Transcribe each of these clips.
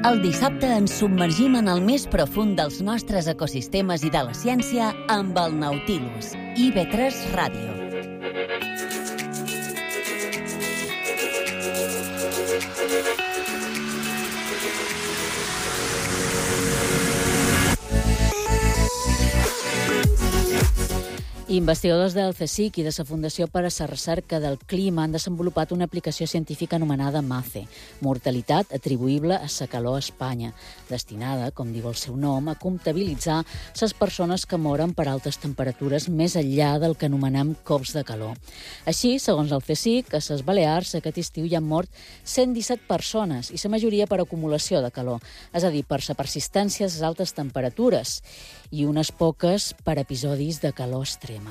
El dissabte ens submergim en el més profund dels nostres ecosistemes i de la ciència amb el Nautilus, IB3 Ràdio. Investigadors del CSIC i de la Fundació per a la Recerca del Clima han desenvolupat una aplicació científica anomenada MACE, mortalitat atribuïble a la calor a Espanya, destinada, com diu el seu nom, a comptabilitzar les persones que moren per altes temperatures més enllà del que anomenem cops de calor. Així, segons el CSIC, a les Balears aquest estiu hi han mort 117 persones i la majoria per acumulació de calor, és a dir, per la persistència de les altes temperatures i unes poques per episodis de calor extrema.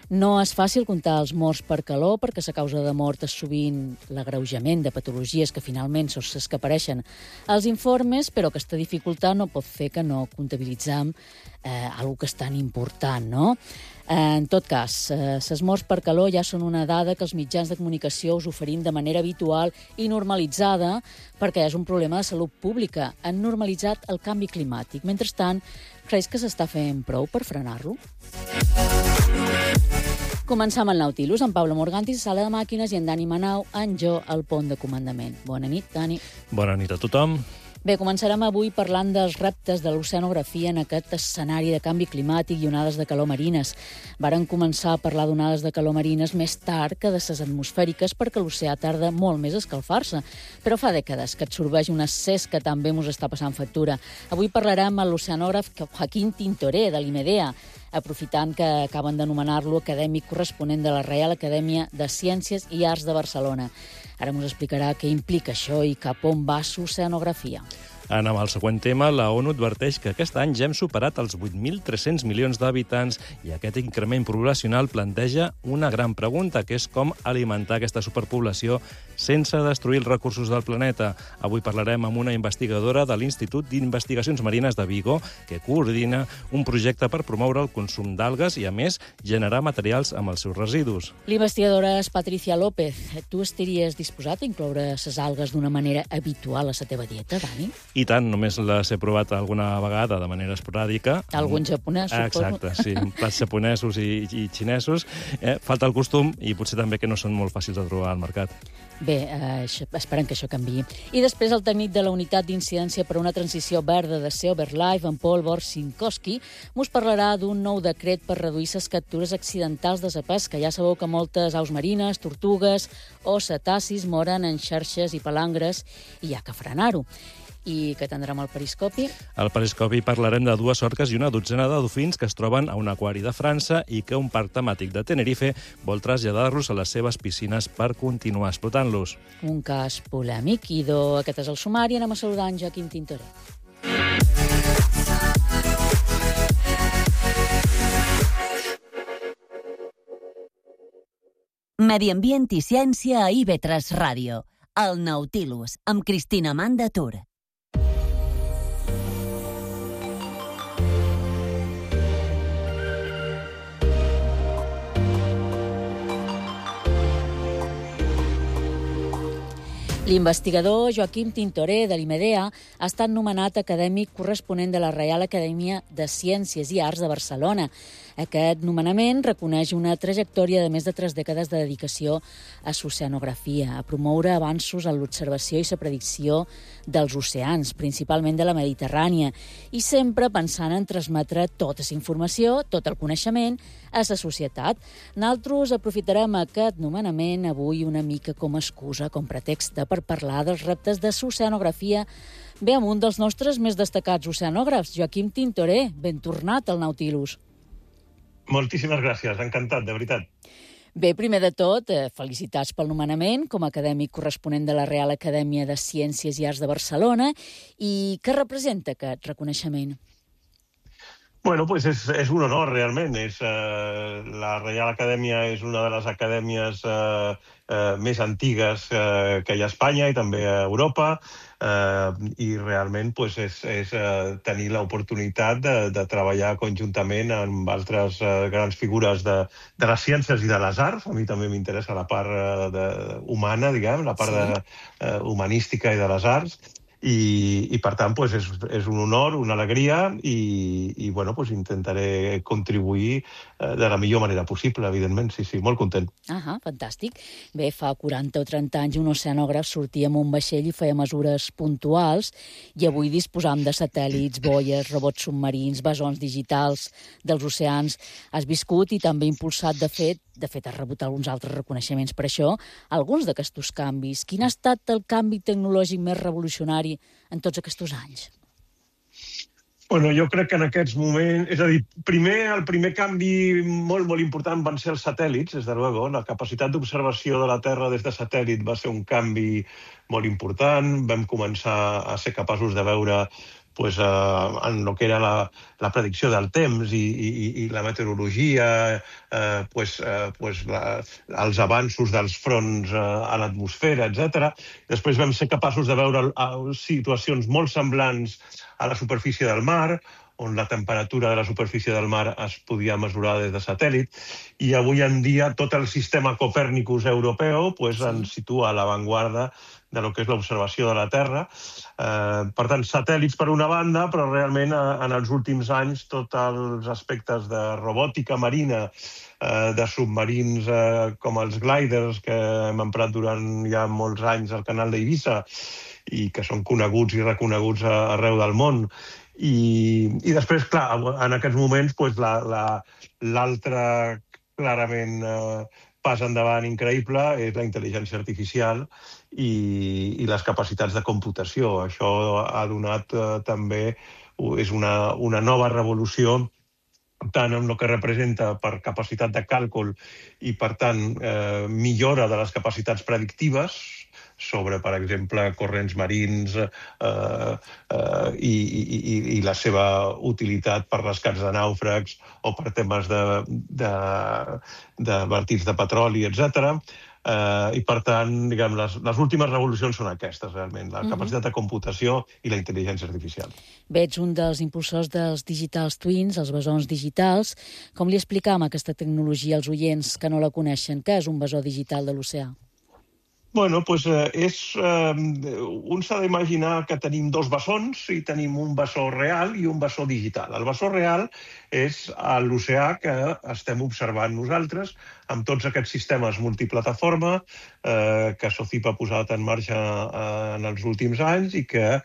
No és fàcil comptar els morts per calor perquè la causa de mort és sovint l'agreujament de patologies que finalment són les que apareixen als informes, però aquesta dificultat no pot fer que no comptabilitzem alguna que és tan important, no? En tot cas, les morts per calor ja són una dada que els mitjans de comunicació us oferim de manera habitual i normalitzada perquè és un problema de salut pública. Han normalitzat el canvi climàtic. Mentrestant, creus que s'està fent prou per frenar-lo? Començam el Nautilus amb Pablo Morganti, sala de màquines, i en Dani Manau, en Jo, al pont de comandament. Bona nit, Dani. Bona nit a tothom. Bé, començarem avui parlant dels reptes de l'oceanografia en aquest escenari de canvi climàtic i onades de calor marines. Varen començar a parlar d'onades de calor marines més tard que de les atmosfèriques perquè l'oceà tarda molt més a escalfar-se. Però fa dècades que absorbeix un excés que també ens està passant factura. Avui parlarem amb l'oceanògraf Joaquín Tintoré, de l'IMEDEA, aprofitant que acaben d'anomenar-lo acadèmic corresponent de la Reial Acadèmia de Ciències i Arts de Barcelona. Ara ens explicarà què implica això i cap on va l'oceanografia. Anem al següent tema. La ONU adverteix que aquest any ja hem superat els 8.300 milions d'habitants i aquest increment poblacional planteja una gran pregunta, que és com alimentar aquesta superpoblació sense destruir els recursos del planeta. Avui parlarem amb una investigadora de l'Institut d'Investigacions Marines de Vigo que coordina un projecte per promoure el consum d'algues i, a més, generar materials amb els seus residus. L'investigadora és Patricia López. Tu estaries disposat a incloure les algues d'una manera habitual a la teva dieta, Dani? I tant, només les he provat alguna vegada de manera esporàdica. Algun japonès, suposo. Exacte, sí, plats japonesos i xinesos. Falta el costum i potser també que no són molt fàcils de trobar al mercat. Bé, esperem que això canviï. I després el tècnic de la Unitat d'Incidència per a una Transició Verda de Sea Over Life, en Paul Borsinkowski, mos parlarà d'un nou decret per reduir les captures accidentals de la pesca. Ja sabeu que moltes aus marines, tortugues o cetacis moren en xarxes i palangres i hi ha que frenar-ho. I què tindrem al periscopi? Al periscopi parlarem de 2 orques i una dotzena de dofins que es troben a un aquari de França i que un parc temàtic de Tenerife vol traslladar-los a les seves piscines per continuar explotant-los. Un cas polèmic. Aquest és el sumari. Anem a saludar en Joaquín Tintoré. Medi ambient i ciència a IB3 Ràdio. El Nautilus, amb Cristina Manda Tur. L'investigador Joaquín Tintoré, de l'IMEDEA, ha estat nomenat acadèmic corresponent de la Reial Acadèmia de Ciències i Arts de Barcelona. Aquest nomenament reconeix una trajectòria de més de 3 dècades de dedicació a l'oceanografia, a promoure avanços en l'observació i la predicció dels oceans, principalment de la Mediterrània, i sempre pensant en transmetre tota la informació, tot el coneixement, a la societat. Nosaltres aprofitarem aquest nomenament avui una mica com a excusa, com pretext per parlar dels reptes de l'oceanografia. Bé, amb un dels nostres més destacats oceanògrafs, Joaquín Tintoré. Ben tornat al Nautilus. Moltíssimes gràcies, encantat, de veritat. Bé, primer de tot, felicitats pel nomenament com a acadèmic corresponent de la Real Acadèmia de Ciències i Arts de Barcelona. I què representa aquest reconeixement? Bueno, pues és un honor, realment. La Reial Acadèmia és una de les acadèmies més antigues que hi ha a Espanya i també a Europa, i realment pues, és tenir l'oportunitat de treballar conjuntament amb altres grans figures de les ciències i de les arts. A mi també m'interessa la part humana, diguem, la part humanística i de les arts. i per tant, és un honor, una alegria i intentaré contribuir de la millor manera possible, evidentment. Sí, molt content. Fantàstic. Bé, fa 40 o 30 anys un oceanògraf sortia amb un vaixell i feia mesures puntuals i avui disposam de satèl·lits, boies, robots submarins, bessons digitals dels oceans. Has viscut i també impulsat, de fet has rebut alguns altres reconeixements per això, alguns d'aquests canvis. Quin ha estat el canvi tecnològic més revolucionari en tots aquests anys? Jo crec que en aquests moments... És a dir, el primer canvi molt, molt important van ser els satèl·lits, des de luego. La capacitat d'observació de la Terra des de satèl·lit va ser un canvi molt important. Vam començar a ser capaços de veure en el que era la predicció del temps i la meteorologia, els avanços dels fronts a l'atmosfera, etc. Després vam ser capaços de veure situacions molt semblants a la superfície del mar, on la temperatura de la superfície del mar es podia mesurar des de satèl·lit, i avui en dia tot el sistema Copèrnicus europeu ens situa a l'avantguarda de lo que és l'observació de la Terra. Per tant, satèl·lits per una banda, però realment en els últims anys tots els aspectes de robòtica marina, de submarins com els gliders que hem emprat durant ja molts anys al canal d'Eivissa i que són coneguts i reconeguts arreu del món. I després, clar, en aquests moments l'altre clarament pas endavant increïble és la intel·ligència artificial i les capacitats de computació. Això ha donat també, és una nova revolució tant en el que representa per capacitat de càlcul i, per tant, millora de les capacitats predictives sobre, per exemple, corrents marins i la seva utilitat per rescats de nàufrags o per temes de vertits de petroli, etc. I, per tant, diguem, les últimes revolucions són aquestes, realment, la capacitat de computació i la intel·ligència artificial. Bé, ets un dels impulsors dels Digital Twins, els bessons digitals. Com li explicam aquesta tecnologia als oients que no la coneixen? Què és un bessó digital de l'oceà? Un s'ha d'imaginar que tenim dos bessons i tenim un bessó real i un bessó digital. El bessó real és l'oceà que estem observant nosaltres amb tots aquests sistemes multiplataforma que SOCIP ha posat en marxa en els últims anys i que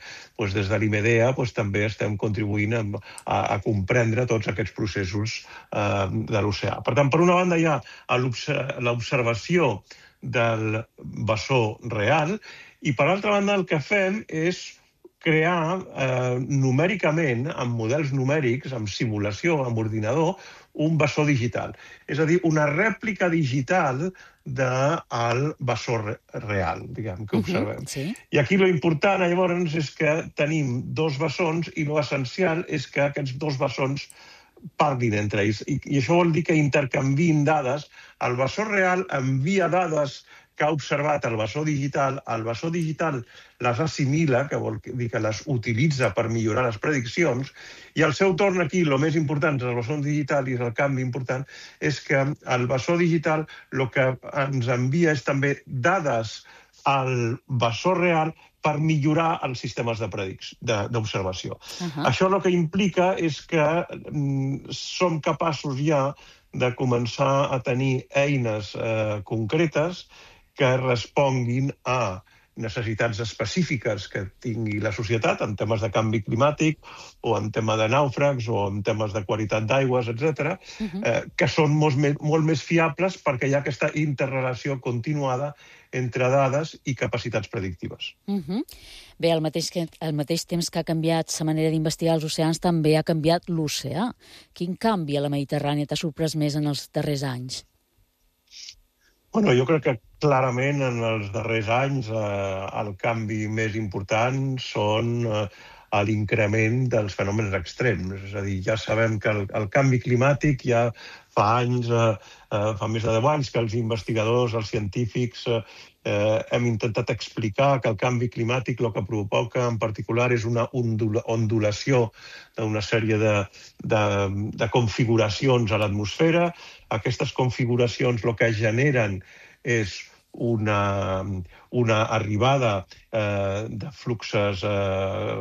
des de l'IMEDEA també estem contribuint a comprendre tots aquests processos de l'oceà. Per tant, per una banda hi ha l'observació del bessó real i, per altra banda, el que fem és crear numèricament, amb models numèrics, amb simulació, amb ordinador, un bessó digital. És a dir, una rèplica digital del bessó real, diguem, que observem. I aquí l'important, llavors, és que tenim dos bessons i l'essencial és que aquests dos bessons parlin entre ells. I això vol dir que intercanvien dades. El bessó real envia dades que ha observat el bessó digital les assimila, que vol dir que les utilitza per millorar les prediccions, i al seu torn aquí, el més important del bessó digital, i és el canvi important, és que el bessó digital el que ens envia és també dades al bessó real per millorar els sistemes d'observació. Això el que implica és que som capaços ja de començar a tenir eines concretes que responguin a necessitats específiques que tingui la societat en temes de canvi climàtic o en tema de nàufrags o en temes de qualitat d'aigües, etc., que són molt més fiables perquè hi ha aquesta interrelació continuada entre dades i capacitats predictives. Bé, al mateix temps que ha canviat la manera d'investigar els oceans, també ha canviat l'oceà. Quin canvi a la Mediterrània t'ha sorprès més en els darrers anys? Jo crec que clarament en els darrers anys el canvi més important són l'increment dels fenòmens extrems. És a dir, ja sabem que el canvi climàtic ja fa anys, fa més de 10 anys, que els investigadors, els científics, hem intentat explicar que el canvi climàtic el que provoca en particular és una ondulació d'una sèrie de configuracions a l'atmosfera. Aquestes configuracions el que generen és una arribada de fluxes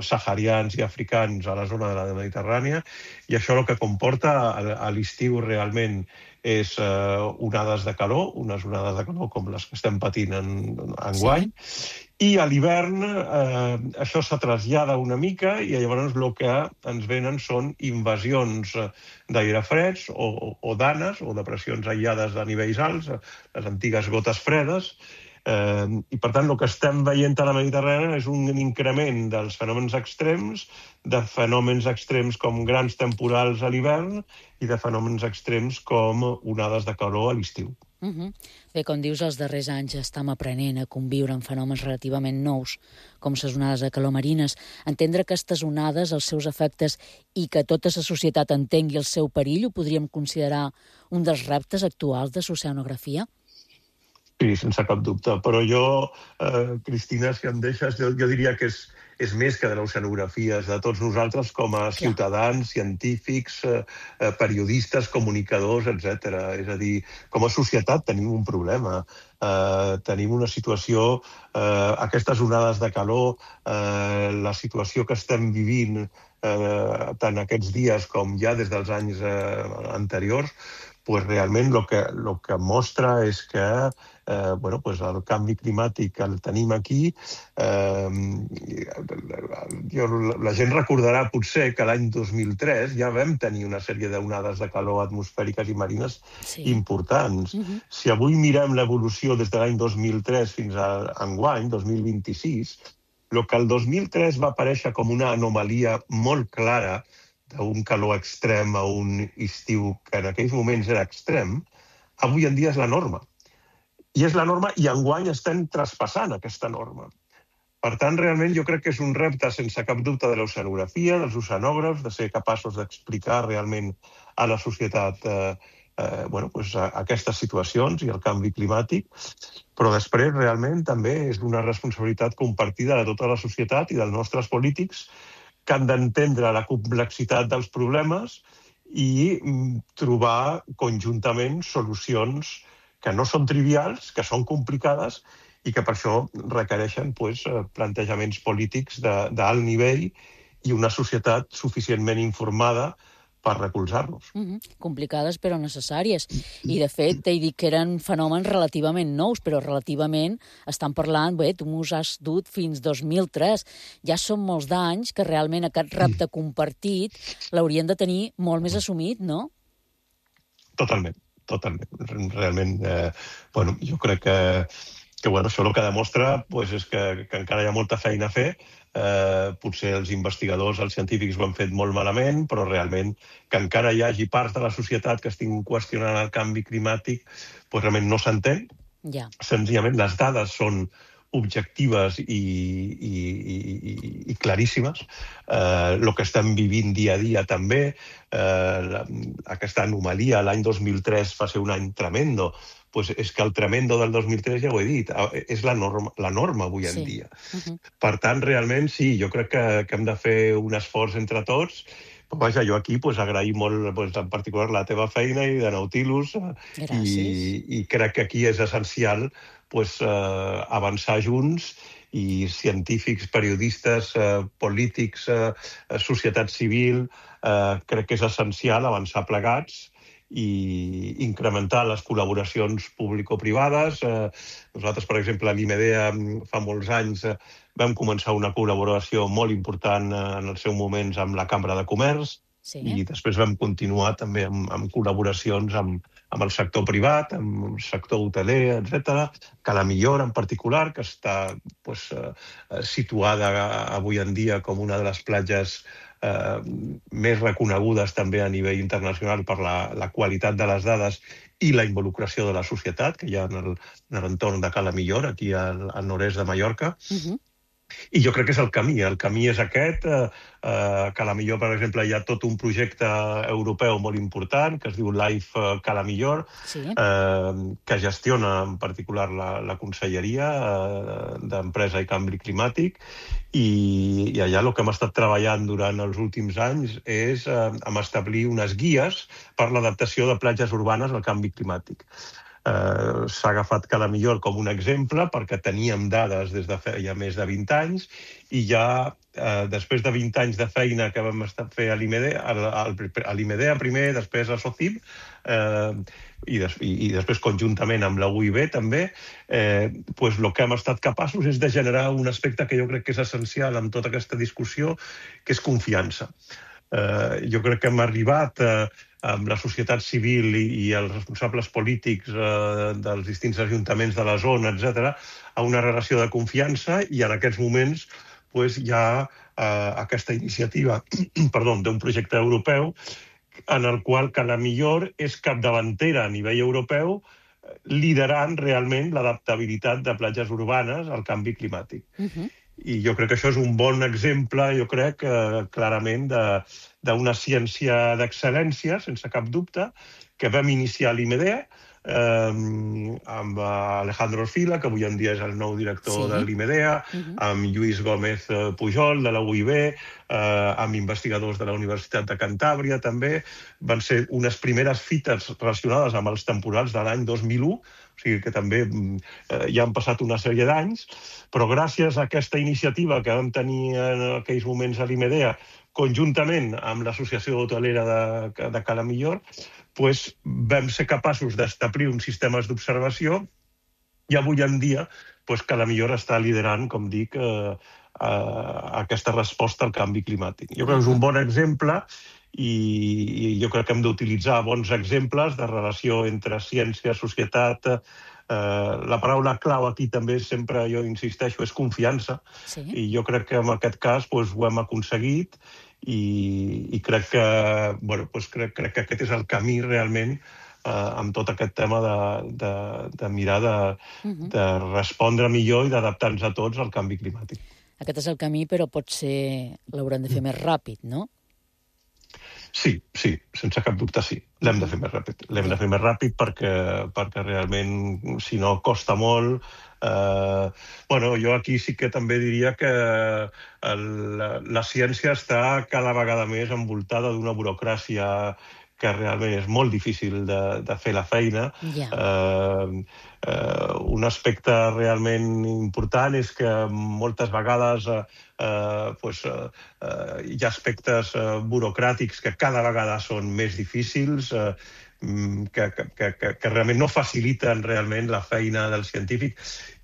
saharians i africans a la zona de la Mediterrània, i això el que comporta a l'estiu realment és onades de calor, unes onades de calor com les que estem patint enguany, i a l'hivern això se trasllada una mica i llavors el que ens venen són invasions d'aire freds o danes o depressions aïllades a nivells alts, les antigues gotes fredes, i per tant el que estem veient a la Mediterrània és un increment dels fenòmens extrems, de fenòmens extrems com grans temporals a l'hivern i de fenòmens extrems com onades de calor a l'estiu. Bé, com dius, els darrers anys estem aprenent a conviure amb fenòmens relativament nous, com les onades de calor marines. Entendre aquestes onades, els seus efectes i que tota la societat entengui el seu perill, ho podríem considerar un dels reptes actuals de l'oceanografia? Sí, sense cap dubte. Però jo, Cristina, si em deixes, jo diria que és més que de l'oceanografia, és de tots nosaltres com a ciutadans, científics, periodistes, comunicadors, etc. És a dir, com a societat tenim un problema. Tenim una situació, aquestes onades de calor, la situació que estem vivint tant aquests dies com ja des dels anys anteriors, pues realment el que mostra és que el canvi climàtic el tenim aquí. La gent recordarà potser que l'any 2003 ja vam tenir una sèrie d'onades de calor atmosfèriques i marines importants. Si avui mirem l'evolució des de l'any 2003 fins a enguany, 2026, el que el 2003 va aparèixer com una anomalia molt clara d'un calor extrem a un estiu que en aquells moments era extrem, avui en dia és la norma. I és la norma i enguany estem traspassant aquesta norma. Per tant, realment jo crec que és un repte sense cap dubte de l'oceanografia, dels oceanògrafs, de ser capaços d'explicar realment a la societat aquestes situacions i el canvi climàtic, però després realment també és una responsabilitat compartida de tota la societat i dels nostres polítics que han d'entendre la complexitat dels problemes i trobar conjuntament solucions que no són trivials, que són complicades i que per això requereixen plantejaments polítics d'alt nivell i una societat suficientment informada per recolzar-los. Complicades però necessàries. I, de fet, t'he dit que eren fenòmens relativament nous, però relativament estan parlant, tu m'ho has dut fins 2003. Ja són molts d'anys que realment aquest repte compartit l'haurien de tenir molt més assumit, no? Totalment. Realment, jo crec que això el que demostra és que encara hi ha molta feina a fer. Potser els investigadors, els científics ho han fet molt malament, però realment que encara hi hagi parts de la societat que estiguin qüestionant el canvi climàtic, realment no s'entén. Senzillament les dades són objectives i claríssimes. El que estem vivint dia a dia també, aquesta anomalia, l'any 2003 va ser un any tremendo, és que el tremendo del 2003, ja ho he dit, és la norma avui en dia. Per tant, realment, sí, jo crec que hem de fer un esforç entre tots. Vaja, jo aquí agraïm molt, en particular, la teva feina i de Nautilus, i crec que aquí és essencial avançar junts, i científics, periodistes, polítics, societat civil, crec que és essencial avançar plegats i incrementar les col·laboracions público-privades. Nosaltres, per exemple, a l'IMEDEA fa molts anys vam començar una col·laboració molt important en els seus moments amb la Cambra de Comerç i després vam continuar també amb col·laboracions amb el sector privat, amb el sector hoteler, etc. Cala Millor, en particular, que està situada avui en dia com una de les platges més reconegudes també a nivell internacional per la qualitat de les dades i la involucració de la societat que hi ha en l'entorn de Cala Millor, aquí al nord-est de Mallorca. I jo crec que és el camí. El camí és aquest, que a la millor, per exemple, hi ha tot un projecte europeu molt important que es diu Life Cala Millor, que gestiona en particular la Conselleria d'Empresa i Canvi Climàtic, i allà el que hem estat treballant durant els últims anys és establir unes guies per l'adaptació de platges urbanes al canvi climàtic. s'ha agafat Cala Millor com un exemple perquè teníem dades des de feia més de 20 anys i ja després de 20 anys de feina que vam fer a l'IMEDEA primer, després a SOCIM i després conjuntament amb la UIB també, doncs el que hem estat capaços és de generar un aspecte que jo crec que és essencial en tota aquesta discussió, que és confiança. Jo crec que hem arribat amb la societat civil i els responsables polítics dels distints ajuntaments de la zona, etc., a una relació de confiança i en aquests moments hi ha aquesta iniciativa d'un projecte europeu en el qual Cala Millor és capdavantera a nivell europeu liderant realment l'adaptabilitat de platges urbanes al canvi climàtic. I jo crec que això és un bon exemple, jo crec, clarament, d'una ciència d'excel·lència, sense cap dubte, que vam iniciar a l'IMEDEA amb Alejandro Orfila, que avui en dia és el nou director de l'IMEDEA, amb Lluís Gómez Pujol, de la UIB, amb investigadors de la Universitat de Cantàbria, també. Van ser unes primeres fites relacionades amb els temporals de l'any 2001, o sigui que també ja han passat una sèrie d'anys, però gràcies a aquesta iniciativa que vam tenir en aquells moments a l'IMEDEA, conjuntament amb l'Associació Hotelera de Cala Millor, vam ser capaços d'establir uns sistemes d'observació i avui en dia Cala Millor està liderant, com dic, aquesta resposta al canvi climàtic. Jo crec que és un bon exemple i jo crec que hem d'utilitzar bons exemples de relació entre ciència, societat. La paraula clau aquí també, sempre jo insisteixo, és confiança. I jo crec que en aquest cas ho hem aconseguit i crec que aquest és el camí realment amb tot aquest tema de mirar de respondre millor i d'adaptar-nos a tots al canvi climàtic. Aquest és el camí, però potser l'haurem de fer més ràpid, no? Sí, sense cap dubte sí. L'hem de fer més ràpid. L'hem de fer més ràpid perquè realment, si no, costa molt. Jo aquí sí que també diria que la ciència està cada vegada més envoltada d'una burocràcia que realment és molt difícil de fer la feina. Un aspecte realment important és que moltes vegades hi ha aspectes burocràtics que cada vegada són més difícils, que realment no faciliten realment la feina del científic.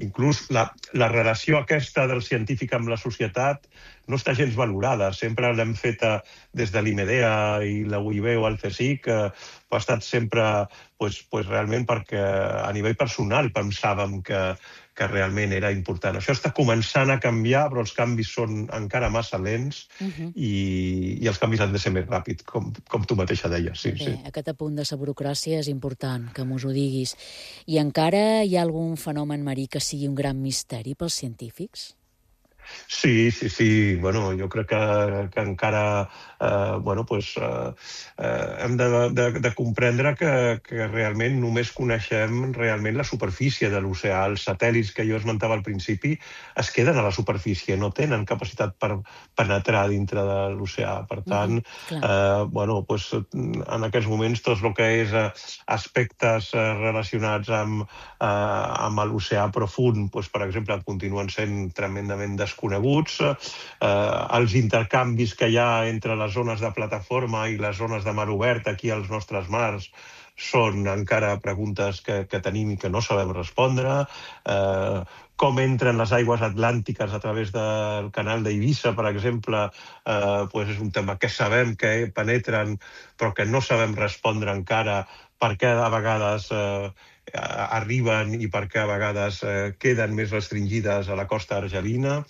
Inclús la relació aquesta del científic amb la societat no està gens valorada. Sempre l'hem feta des de l'IMEDEA i la UIB o el CSIC, ha estat sempre realment perquè a nivell personal pensàvem que realment era important. Això està començant a canviar, però els canvis són encara massa lents i els canvis han de ser més ràpids, com tu mateixa deies. Bé, aquest apunt de la burocràcia és important, que mos ho diguis. I encara hi ha algun fenomen marí que sigui un gran misteri pels científics? Sí. Jo crec que encara hem de comprendre que realment només coneixem realment la superfície de l'oceà. Els satèl·lits que jo esmentava al principi es queden a la superfície, no tenen capacitat per penetrar dintre de l'oceà. Per tant, en aquests moments tot el que és aspectes relacionats amb l'oceà profund, per exemple, continuen sent tremendament desconeguts. Els intercanvis que hi ha entre les zones de plataforma i les zones de mar obert aquí als nostres mars són encara preguntes que tenim i que no sabem respondre. Com entren les aigües atlàntiques a través del canal d'Eivissa, per exemple, és un tema que sabem que penetren però que no sabem respondre encara per què a vegades arriben i per què a vegades queden més restringides a la costa argelina.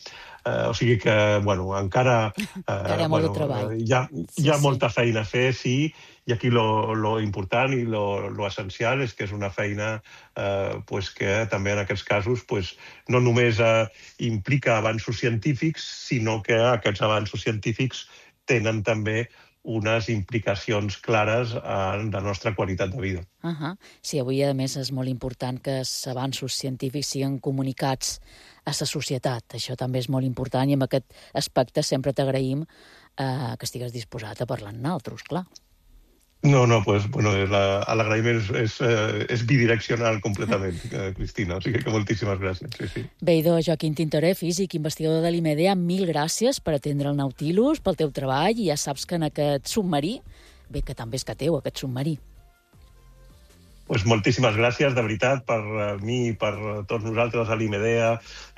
O sigui que, encara hi ha molta feina a fer, sí, i aquí lo important i lo essencial és que és una feina que també en aquests casos no només implica avanços científics, sinó que aquests avanços científics tenen també unes implicacions clares en la nostra qualitat de vida. Sí, avui, a més, és molt important que els avanços científics siguin comunicats a la societat. Això també és molt important i en aquest aspecte sempre t'agraïm que estigues disposat a parlar amb nosaltres, clar. No, pues, bueno, l'agraïment és bidireccional completament, Cristina, o sigui que moltíssimes gràcies, sí. Bé, idò, Joaquín Tintoré, físic, investigador de l'IMEDEA, 1000 gràcies per atendre el Nautilus, pel teu treball, i ja saps que en aquest submarí, bé, que també és que teu, aquest submarí. Pues moltíssimes gràcies, de veritat, per mi i per tots nosaltres a l'IMEDEA.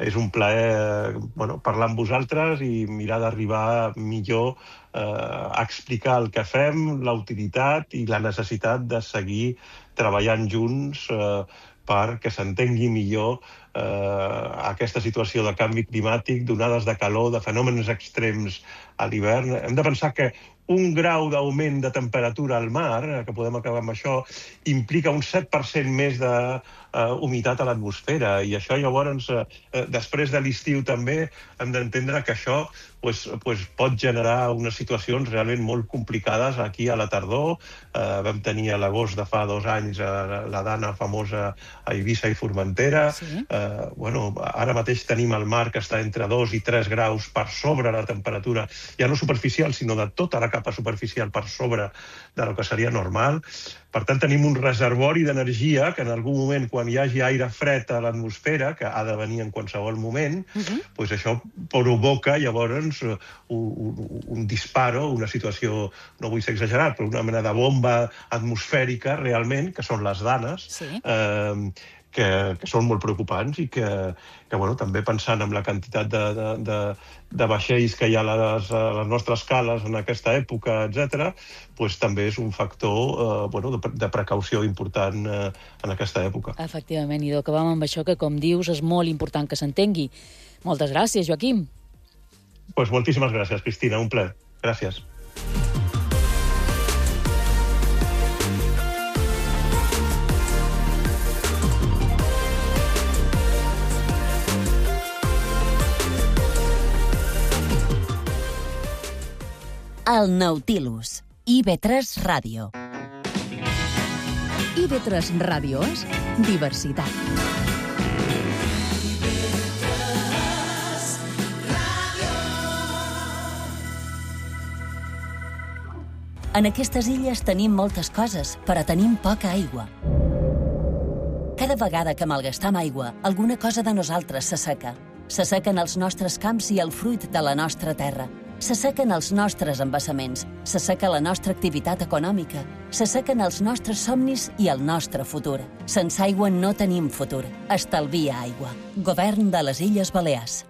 És un plaer parlar amb vosaltres i mirar d'arribar millor a explicar el que fem, la utilitat i la necessitat de seguir treballant junts perquè s'entengui millor aquesta situació de canvi climàtic, d'onades de calor, de fenòmens extrems a l'hivern. Hem de pensar que un grau d'augment de temperatura al mar, que podem acabar amb això, implica un 7% més d'humitat a l'atmosfera. I això llavors, després de l'estiu també, hem d'entendre que això pot generar unes situacions realment molt complicades aquí a la tardor. Vam tenir a l'agost de fa 2 anys la dana famosa a Eivissa i Formentera. Sí. Ara mateix tenim el mar que està entre 2 i 3 graus per sobre la temperatura, ja no superficial, sinó de tota la capa superficial per sobre de lo que seria normal. Per tant, tenim un reservori d'energia que en algun moment, quan hi hagi aire fred a l'atmosfera, que ha de venir en qualsevol moment, això provoca llavors un disparo, una situació, no vull ser exagerat, però una mena de bomba atmosfèrica realment, que són les danes, que són molt preocupants i que també pensant en la quantitat de vaixells que hi ha a les nostres cales en aquesta època, etc., també és un factor de precaució important en aquesta època. Efectivament, i acabam amb això que, com dius, és molt important que s'entengui. Moltes gràcies, Joaquim. Moltíssimes gràcies, Cristina, un plaer. Gràcies. El Nautilus, IB3 Ràdio. IB3 Ràdio és diversitat. En aquestes illes tenim moltes coses, però tenim poca aigua. Cada vegada que malgastam aigua, alguna cosa de nosaltres s'asseca. S'assequen els nostres camps i el fruit de la nostra terra. S'assequen els nostres embassaments, s'asseca la nostra activitat econòmica, s'assequen els nostres somnis i el nostre futur. Sense aigua no tenim futur. Estalvia aigua. Govern de les Illes Balears.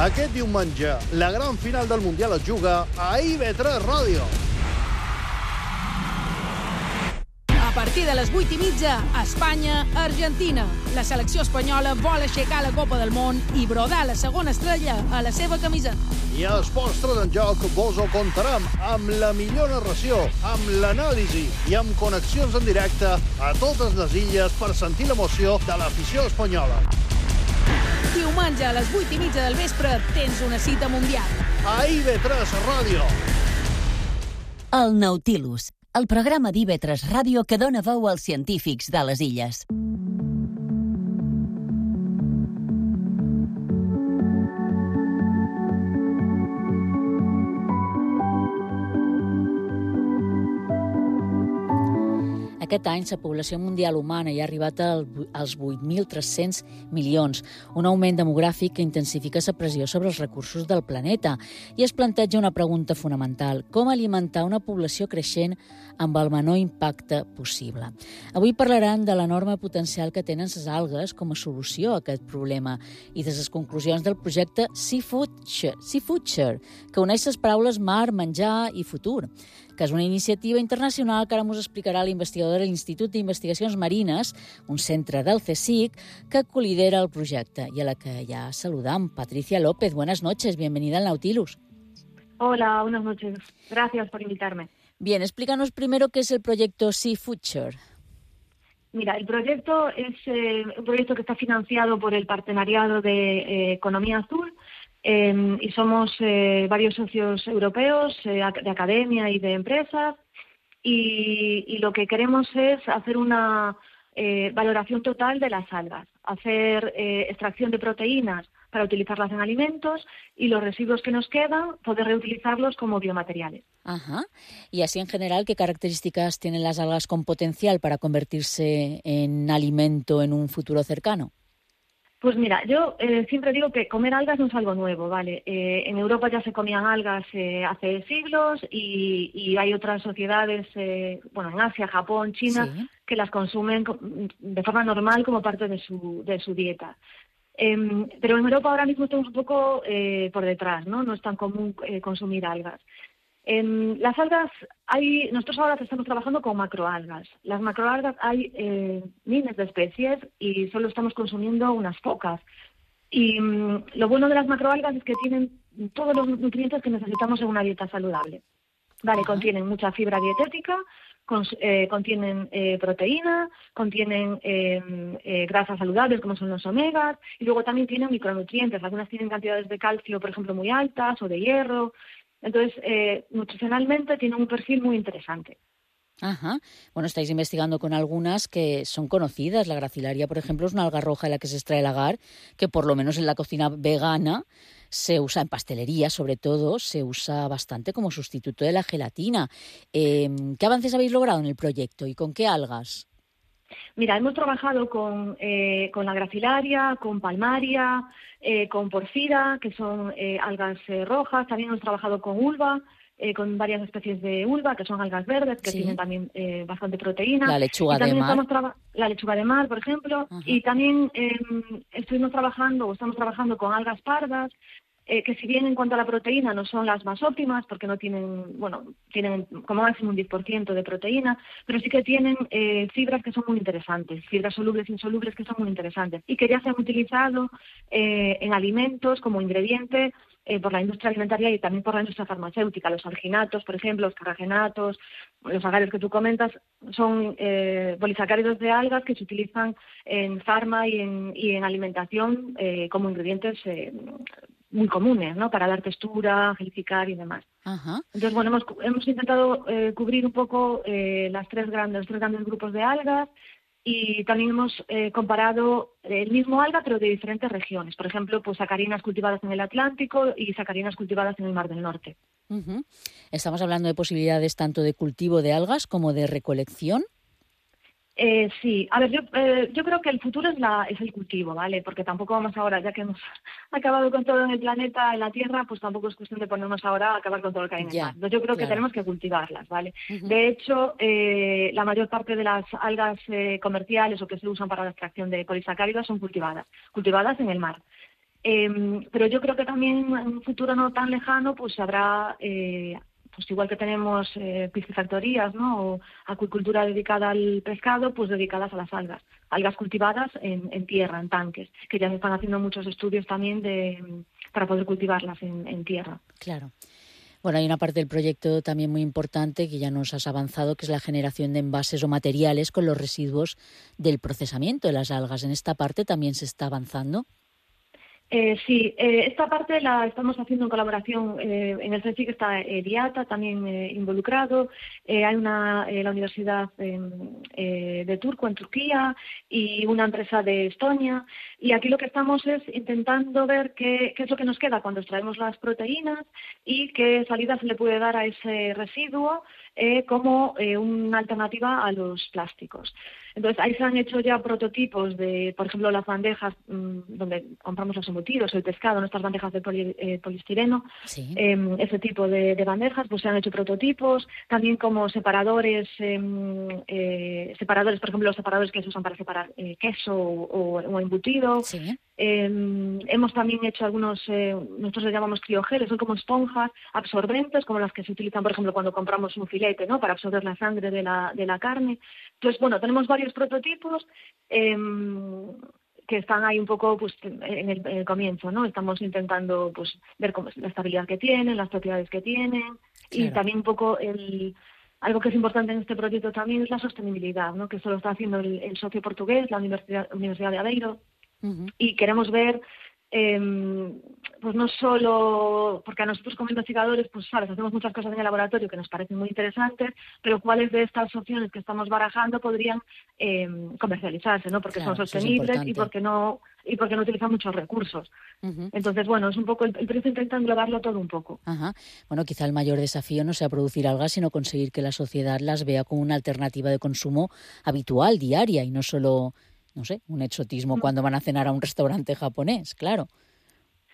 Aquest diumenge, la gran final del Mundial es juga a IB3 Ràdio. A partir de les 8:30, Espanya-Argentina. La selecció espanyola vol aixecar la Copa del Món i brodar la segona estrella a la seva camisa. I a Esports 3 en Joc vos ho contarem amb la millor narració, amb l'anàlisi i amb connexions en directe a totes les illes per sentir l'emoció de l'afició espanyola. Diumenge a les 8:30 del vespre tens una cita mundial. A IB3 Ràdio. El Nautilus, el programa d'IB3 Ràdio que dona veu als científics de les illes. Aquest any, la població mundial humana ja ha arribat als 8.300 milions, un augment demogràfic que intensifica la pressió sobre els recursos del planeta. I es planteja una pregunta fonamental: com alimentar una població creixent amb el menor impacte possible? Avui parlaran de l'enorme potencial que tenen les algues com a solució a aquest problema i de les conclusions del projecte Seafuture, que uneix les paraules mar, menjar i futur, que és una iniciativa internacional que ara ens explicarà l'investigador de l'Institut d'Investigacions Marines, un centre del CSIC, que colidera el projecte i a la que ja saludam. Patricia López, buenas noches, bienvenida al Nautilus. Hola, buenas noches. Gracias por invitarme. Bien, explícanos primero qué es el proyecto Seafuture. Mira, el proyecto es un proyecto que está financiado por el Partenariado de Economía Azul, y somos varios socios europeos de academia y de empresas, y lo que queremos es hacer una valoración total de las algas, hacer extracción de proteínas para utilizarlas en alimentos y los residuos que nos quedan poder reutilizarlos como biomateriales. Ajá. Y así en general, ¿qué características tienen las algas con potencial para convertirse en alimento en un futuro cercano? Pues mira, yo siempre digo que comer algas no es algo nuevo, ¿vale? En Europa ya se comían algas hace siglos y hay otras sociedades, bueno, en Asia, Japón, China, Sí. que las consumen de forma normal como parte de su dieta. Pero en Europa ahora mismo estamos un poco por detrás, ¿no? No es tan común consumir algas. Las algas, nosotros ahora estamos trabajando con macroalgas. Las macroalgas hay miles de especies y solo estamos consumiendo unas pocas. Y lo bueno de las macroalgas es que tienen todos los nutrientes que necesitamos en una dieta saludable. Vale, contienen mucha fibra dietética, contienen proteína, contienen grasas saludables como son los omegas y luego también tienen micronutrientes. Algunas tienen cantidades de calcio, por ejemplo, muy altas o de hierro. Entonces, nutricionalmente tienen un perfil muy interesante. Ajá. Bueno, estáis investigando con algunas que son conocidas. La gracilaria, por ejemplo, es una alga roja de la que se extrae el agar, que por lo menos en la cocina vegana se usa, en pastelería sobre todo, se usa bastante como sustituto de la gelatina. ¿Qué avances habéis logrado en el proyecto y con qué algas? Mira, hemos trabajado con la gracilaria, con palmaria, con porfira, que son algas rojas. También hemos trabajado con ulva, con varias especies de ulva, que son algas verdes, que tienen también bastante proteína. La lechuga y también de mar. la lechuga de mar, por ejemplo. Ajá. Y también estamos trabajando con algas pardas, que si bien en cuanto a la proteína no son las más óptimas, porque no tienen, bueno, tienen como máximo un 10% de proteína, pero sí que tienen fibras que son muy interesantes, fibras solubles e insolubles que son muy interesantes, y que ya se han utilizado en alimentos como ingrediente por la industria alimentaria y también por la industria farmacéutica. Los alginatos, por ejemplo, los carragenatos, los agares que tú comentas, son polisacáridos de algas que se utilizan en farma y en alimentación como ingredientes muy comunes, ¿no? Para dar textura, gelificar y demás. Ajá. Entonces, bueno, hemos intentado cubrir un poco los tres grandes grupos de algas y también hemos comparado el mismo alga pero de diferentes regiones. Por ejemplo, pues sacarinas cultivadas en el Atlántico y sacarinas cultivadas en el Mar del Norte. Uh-huh. Estamos hablando de posibilidades tanto de cultivo de algas como de recolección. Sí, a ver, yo creo que el futuro es el cultivo, ¿vale? Porque tampoco vamos ahora, ya que hemos acabado con todo en el planeta, en la Tierra, pues tampoco es cuestión de ponernos ahora a acabar con todo lo que hay en el mar. Entonces yo creo que tenemos que cultivarlas, ¿vale? Uh-huh. De hecho, la mayor parte de las algas comerciales o que se usan para la extracción de polisacáridos son cultivadas en el mar. Pero yo creo que también en un futuro no tan lejano, pues habrá... pues igual que tenemos piscifactorías, ¿no? O acuicultura dedicada al pescado, pues dedicadas a las algas cultivadas en tierra, en tanques, que ya se están haciendo muchos estudios también para poder cultivarlas en tierra. Claro. Bueno, hay una parte del proyecto también muy importante que ya nos has avanzado, que es la generación de envases o materiales con los residuos del procesamiento de las algas. ¿En esta parte también se está avanzando? Sí, esta parte la estamos haciendo en colaboración, en el CSIC está DIATA también involucrado, hay la Universidad de Turku en Turquía y una empresa de Estonia, y aquí lo que estamos es intentando ver qué es lo que nos queda cuando extraemos las proteínas y qué salida se le puede dar a ese residuo como una alternativa a los plásticos. Entonces, ahí se han hecho ya prototipos de, por ejemplo, las bandejas donde compramos los embutidos, el pescado, nuestras bandejas de poliestireno, sí. Ese tipo de bandejas, pues se han hecho prototipos, también como separadores, por ejemplo, los separadores que se usan para separar queso o embutido. Sí. Hemos también hecho algunos, nosotros le llamamos criogeles, son como esponjas absorbentes, como las que se utilizan, por ejemplo, cuando compramos un filete, ¿no? Para absorber la sangre de la carne. Entonces, bueno, tenemos varios prototipos que están ahí un poco pues en el comienzo, ¿no? Estamos intentando pues ver cómo es la estabilidad que tienen, las propiedades que tienen, claro. Y también un poco algo que es importante en este proyecto también es la sostenibilidad, ¿no? Que eso lo está haciendo el socio portugués, la Universidad de Aveiro. Uh-huh. Y queremos ver pues no solo, porque a nosotros como investigadores, pues sabes, hacemos muchas cosas en el laboratorio que nos parecen muy interesantes, pero cuáles de estas opciones que estamos barajando podrían comercializarse, ¿no? Porque Claro, son eso es sostenibles y importante. porque no utilizan muchos recursos. Ujú. Entonces, bueno, es un poco, el proyecto intenta englobarlo todo un poco. Ajá. Bueno, quizá el mayor desafío no sea producir algas, sino conseguir que la sociedad las vea como una alternativa de consumo habitual, diaria, y no solo, no sé, un exotismo cuando van a cenar a un restaurante japonés, claro.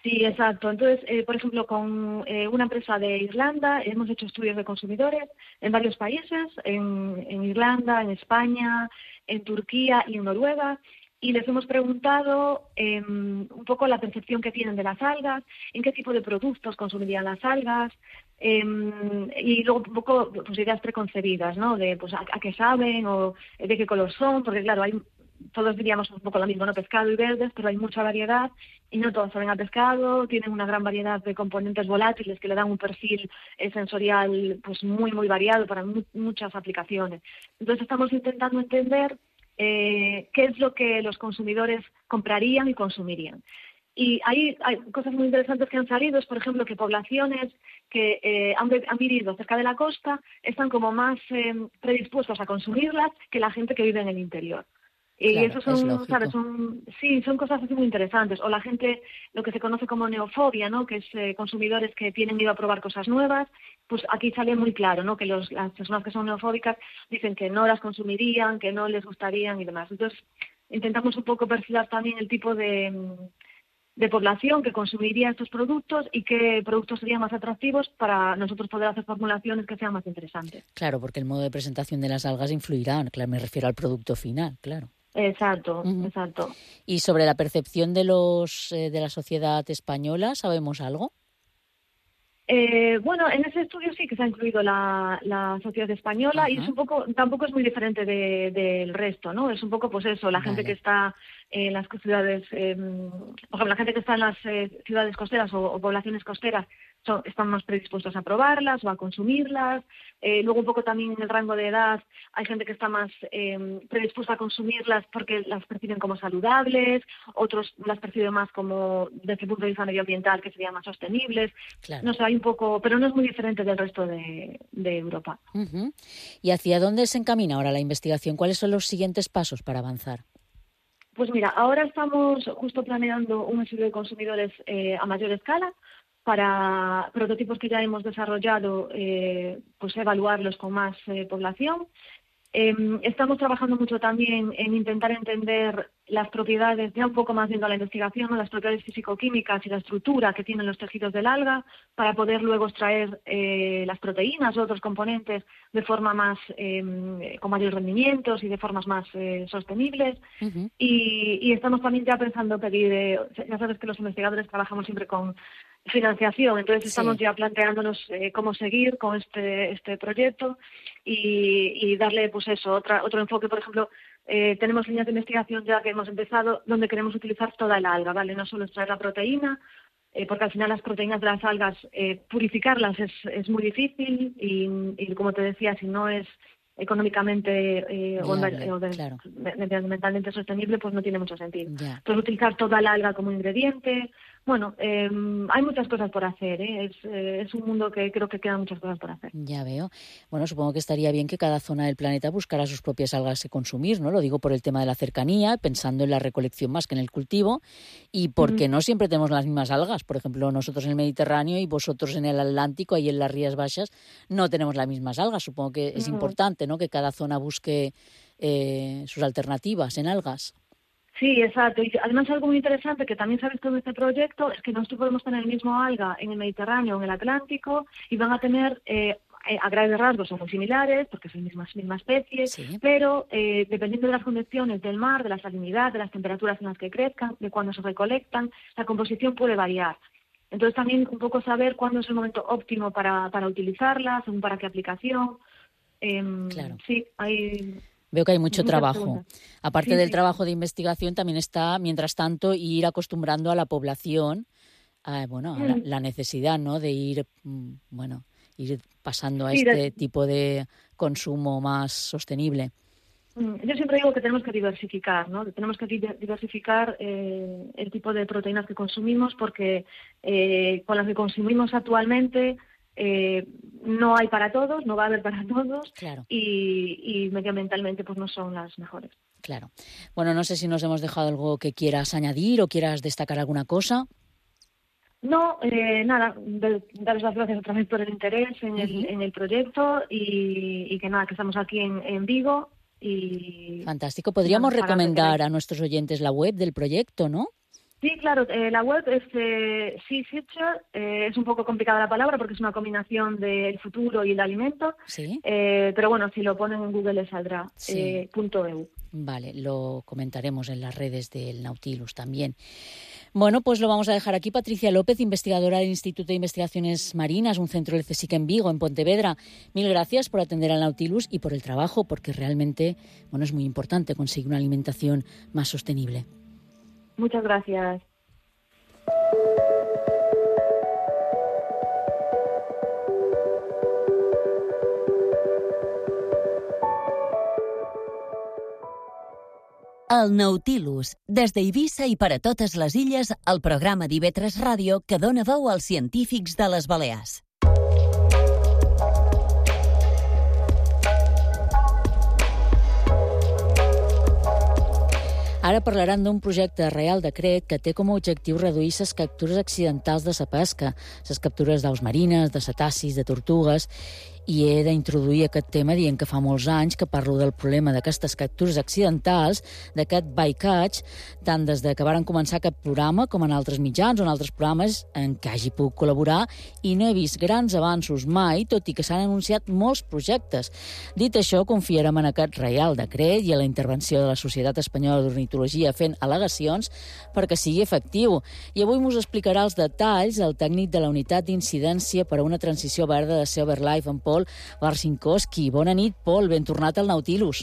Sí, exacto. Entonces, por ejemplo, con una empresa de Irlanda hemos hecho estudios de consumidores en varios países, en Irlanda, en España, en Turquía y en Noruega, y les hemos preguntado un poco la percepción que tienen de las algas, en qué tipo de productos consumirían las algas, y luego un poco pues, ideas preconcebidas, ¿no? De pues a qué saben o de qué color son, porque claro, todos diríamos un poco lo mismo, ¿no? Pescado y verdes, pero hay mucha variedad y no todos saben a pescado, tienen una gran variedad de componentes volátiles que le dan un perfil sensorial pues muy, muy variado para muchas aplicaciones. Entonces estamos intentando entender qué es lo que los consumidores comprarían y consumirían. Y hay cosas muy interesantes que han salido, es por ejemplo que poblaciones que han vivido cerca de la costa están como más predispuestos a consumirlas que la gente que vive en el interior. Y Claro, eso es son, ¿sabes? lógico. Son cosas así muy interesantes. O la gente, lo que se conoce como neofobia, ¿no? Que es consumidores que tienen miedo a probar cosas nuevas. Pues aquí sale muy claro, ¿no? Que las personas que son neofóbicas dicen que no las consumirían, que no les gustarían y demás. Entonces, intentamos un poco perfilar también el tipo de población que consumiría estos productos y qué productos serían más atractivos para nosotros poder hacer formulaciones que sean más interesantes. Claro, porque el modo de presentación de las algas influirá, claro, me refiero al producto final, claro. Exacto, Ujú. exacto. Y sobre la percepción de de la sociedad española, ¿sabemos algo? Bueno, en ese estudio sí que se ha incluido la sociedad española y es Ajá. un poco, tampoco es muy diferente del resto, ¿no? Es un poco, pues eso, la gente que Vale. está en las ciudades, por ejemplo, la gente que está en las ciudades costeras o poblaciones costeras están más predispuestos a probarlas o a consumirlas. Luego un poco también en el rango de edad hay gente que está más predispuesta a consumirlas porque las perciben como saludables, otros las perciben más como desde el punto de vista medioambiental que serían más sostenibles. Claro. No sé, hay un poco, pero no es muy diferente del resto de Europa. Ujú. ¿Y hacia dónde se encamina ahora la investigación? ¿Cuáles son los siguientes pasos para avanzar? Pues mira, ahora estamos justo planeando un estudio de consumidores a mayor escala para prototipos que ya hemos desarrollado, pues evaluarlos con más población. Estamos trabajando mucho también en intentar entender las propiedades, ya un poco más viendo la investigación, ¿no? Las propiedades físico-químicas y la estructura que tienen los tejidos del alga para poder luego extraer las proteínas u otros componentes de forma más, con mayores rendimientos y de formas más sostenibles. Ujú. Y estamos también ya pensando pedir, ya sabes que los investigadores trabajamos siempre con financiación, entonces estamos Sí. ya planteándonos cómo seguir con este proyecto y darle pues eso, otro enfoque. Por ejemplo, tenemos líneas de investigación ya que hemos empezado donde queremos utilizar toda el alga, ¿vale? No solo extraer la proteína, porque al final las proteínas de las algas, purificarlas es muy difícil y como te decía, si no es económicamente Viable, claro. medioambientalmente sostenible, pues no tiene mucho sentido. Ya. Entonces utilizar toda el alga como ingrediente. Bueno, hay muchas cosas por hacer, ¿eh? Es un mundo que creo que quedan muchas cosas por hacer. Ya veo. Bueno, supongo que estaría bien que cada zona del planeta buscara sus propias algas que consumir, ¿no? Lo digo por el tema de la cercanía, pensando en la recolección más que en el cultivo, y porque no siempre tenemos las mismas algas. Por ejemplo, nosotros en el Mediterráneo y vosotros en el Atlántico, ahí en las Rías Baixas, no tenemos las mismas algas. Supongo que es importante, ¿no? Que cada zona busque sus alternativas en algas. Sí, exacto. Y además algo muy interesante que también se ha visto en este proyecto es que nosotros podemos tener el mismo alga en el Mediterráneo o en el Atlántico y van a tener, a grandes rasgos son muy similares porque son misma especie, Sí. pero dependiendo de las condiciones del mar, de la salinidad, de las temperaturas en las que crezcan, de cuándo se recolectan, la composición puede variar. Entonces también un poco saber cuándo es el momento óptimo para utilizarlas, según para qué aplicación. Claro. Sí, hay... Veo que hay mucho muchas trabajo. preguntas. Aparte Sí, del sí. trabajo de investigación, también está, mientras tanto, ir acostumbrando a la población a la necesidad, ¿no? De ir, ir pasando a Sí, este tipo de consumo más sostenible. Yo siempre digo que tenemos que diversificar, ¿no? Tenemos que diversificar el tipo de proteínas que consumimos porque con las que consumimos actualmente no hay para todos, no va a haber para todos, Claro. y medioambientalmente pues no son las mejores. Claro. Bueno, no sé si nos hemos dejado algo que quieras añadir o quieras destacar alguna cosa. No, nada, daros las gracias otra vez por el interés en el proyecto y que nada, que estamos aquí en Vigo. Y Fantástico. Podríamos para lo que recomendar queráis. a nuestros oyentes la web del proyecto, ¿no? Sí, claro, la web es Sea Future, es un poco complicada la palabra porque es una combinación del futuro y el alimento, Sí. pero bueno, si lo ponen en Google les saldrá, Sí. .eu. Vale, lo comentaremos en las redes del Nautilus también. Bueno, pues lo vamos a dejar aquí. Patricia López, investigadora del Instituto de Investigaciones Marinas, un centro del CSIC en Vigo, en Pontevedra. Mil gracias por atender al Nautilus y por el trabajo, porque realmente, bueno, es muy importante conseguir una alimentación más sostenible. Muchas gracias. El Nautilus, des d'Eivissa i per a totes les illes, el programa d'IV3 Ràdio que dona veu als científics de les Balears. Ara parlaran d'un projecte de Reial Decret que té com a objectiu reduir les captures accidentals de la pesca, les captures d'aus marines, de cetacis, de tortugues, i he d'introduir aquest tema dient que fa molts anys que parlo del problema d'aquestes captures accidentals, d'aquest bycatch, tant des de que varen començar aquest programa com en altres mitjans o en altres programes en què hagi pogut col·laborar, i no he vist grans avanços mai, tot i que s'han anunciat molts projectes. Dit això, confiarem en aquest Reial Decret i a la intervenció de la Societat Espanyola d'Ornitologia fent al·legacions perquè sigui efectiu. I avui us explicarà els detalls el tècnic de la Unitat d'Incidència per a una Transició Verda de Sea BirdLife, en Pol Warsinkowski. Bona nit, Pol, ben tornat al Nautilus.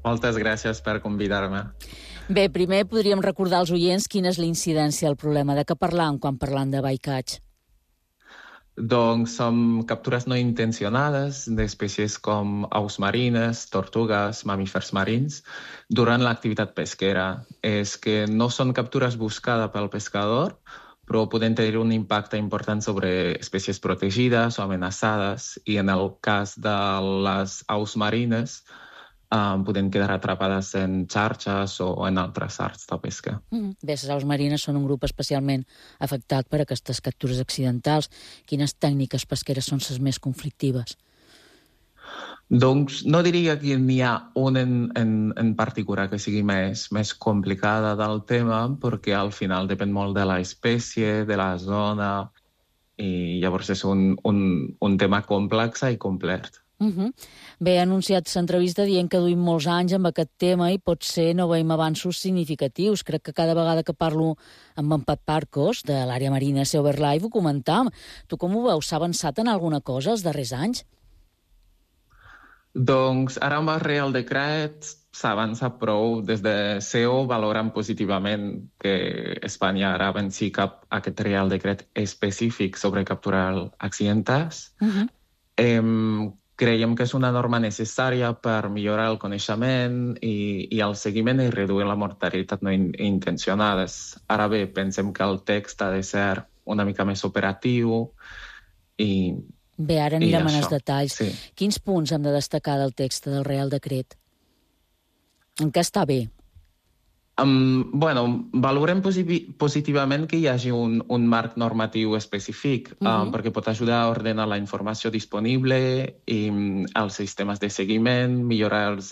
Moltes gràcies per convidar-me. Bé, primer podríem recordar als oients quina és la incidència del problema. De què parlam quan parlam de bycatch? Doncs són captures no intencionades d'espècies com aus marines, tortugues, mamífers marins, durant l'activitat pesquera. És que no són captures buscades pel pescador, però poden tenir un impacte important sobre espècies protegides o amenaçades, i en el cas de les aus marines poden quedar atrapades en xarxes o en altres arts de pesca. Bé, les aus marines són un grup especialment afectat per aquestes captures accidentals. Quines tècniques pesqueres són les més conflictives? Doncs no diria que n'hi ha una en particular que sigui més complicada del tema, perquè al final depèn molt de l'espècie, de la zona, i llavors és un tema complex i complet. Bé, he anunciat l'entrevista dient que duim molts anys amb aquest tema i potser no veiem avanços significatius. Crec que cada vegada que parlo amb en Pep Parcos, de l'àrea marina de Sea BirdLife, ho comentam. Tu com ho veus? S'ha avançat en alguna cosa els darrers anys? Doncs ara amb el Reial Decret s'avança prou. Des de CEO valoren positivament que Espanya ara avanci cap a aquest Reial Decret específic sobre capturar accidents. Creiem que és una norma necessària per millorar el coneixement i el seguiment i reduir la mortalitat no intencionada. Ara bé, pensem que el text ha de ser una mica més operatiu i... Bé, ara anirem en els detalls. Sí. Quins punts hem de destacar del text del Reial Decret? En què està bé? Valorem positivament que hi hagi un marc normatiu específic, perquè pot ajudar a ordenar la informació disponible i els sistemes de seguiment, millorar els